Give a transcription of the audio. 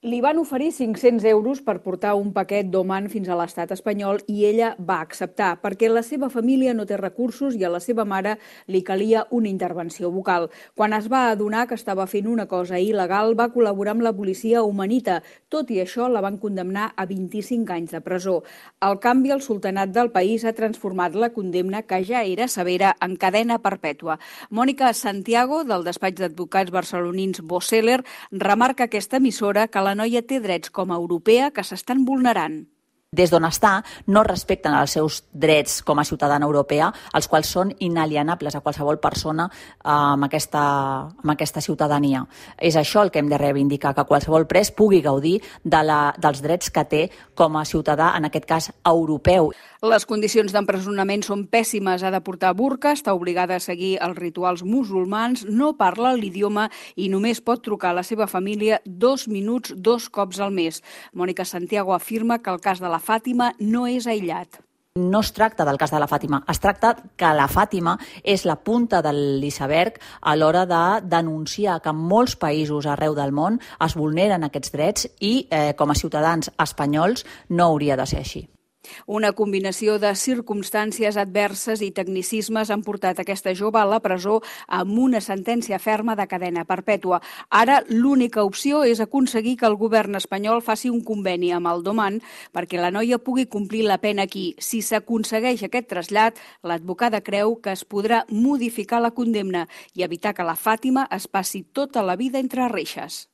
Li van oferir 500 euros per portar un paquet d'Oman fins a l'estat espanyol i ella va acceptar, perquè la seva família no té recursos i a la seva mare li calia una intervenció bucal. Quan es va adonar que estava fent una cosa il·legal, va col·laborar amb la policia omanita. Tot i això, la van condemnar a 25 anys de presó. Al canvi, el sultanat del país ha transformat la condemna, que ja era severa, en cadena perpètua. Mònica Santiago, del despatx d'advocats barcelonins Boseller, remarca aquesta emissora que la noia té drets com a europea que s'estan vulnerant. Des d'on està, no respecten els seus drets com a ciutadana europea, els quals són inalienables a qualsevol persona amb aquesta ciutadania. És això el que hem de reivindicar, que qualsevol pres pugui gaudir dels drets que té com a ciutadà, en aquest cas europeu. Les condicions d'empresonament són pèssimes. Ha de portar burca, està obligada a seguir els rituals musulmans, no parla l'idioma i només pot trucar a la seva família 2 minuts 2 cops al mes. Mònica Santiago afirma que el cas de la Fàtima no és aïllat. No es tracta del cas de la Fàtima, es tracta que la Fàtima és la punta de l'iceberg a l'hora de denunciar que en molts països arreu del món es vulneren aquests drets i com a ciutadans espanyols no hauria de ser així. Una combinació de circumstàncies adverses i tecnicismes han portat aquesta jove a la presó amb una sentència ferma de cadena perpètua. Ara l'única opció és aconseguir que el govern espanyol faci un conveni amb el d'Oman perquè la noia pugui complir la pena aquí. Si s'aconsegueix aquest trasllat, l'advocada creu que es podrà modificar la condemna i evitar que la Fàtima es passi tota la vida entre reixes.